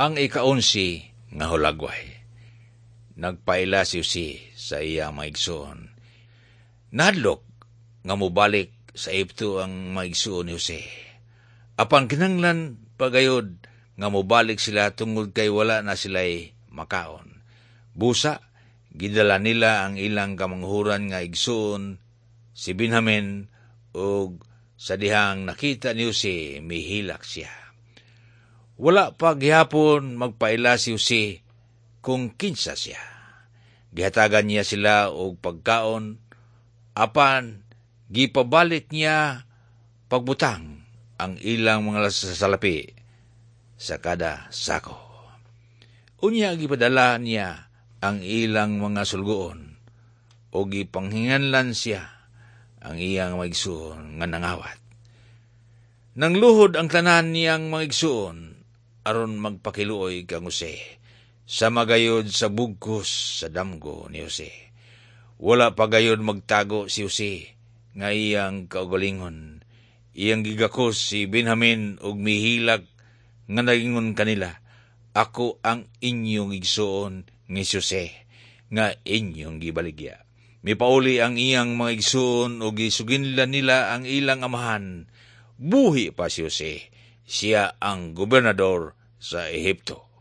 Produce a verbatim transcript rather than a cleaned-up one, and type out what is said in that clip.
Ang ikaunsi nga hulagway. Nagpaila si Jose sa iyang mga igsoon. Nahadlok nga mobalik sa Ehipto ang mga igsoon ni Jose. Apan kinahanglan pagayod nga mobalik sila tungod kay wala na sila'y makaon. Busa, gidala nila ang ilang kamanghuran nga igsoon si Benjamin ug sa dihang nakita ni Jose mihilak siya. Wala pa gihapon magpaila si Jose kung kinsa siya. Gihatagan niya sila og pagkaon apan gipabalik niya pagbutang ang ilang mga salapi sa kada sako. Unya gipadala niya ang ilang mga sulgoon o gipanghinganlan siya ang iyang mga igsuon nga nangawat. Nangluhod ang tanan niyang mga igsuon aron magpakiluoy kang Jose sa magayod sa bugkos sa damgo ni Jose. Wala pa gayod magtago si Jose nga iyang kaugalingon. Iyang gigakos si Benjamin ug mihilak nga nagingon kanila, Ako ang inyong igsuon nga si Jose nga inyong gibaligya. Mipauli ang iyang mga igsuon ug gisuginlan nila ang ilang amahan. Buhi pa si Jose. Siya ang gobernador sa Ehipto.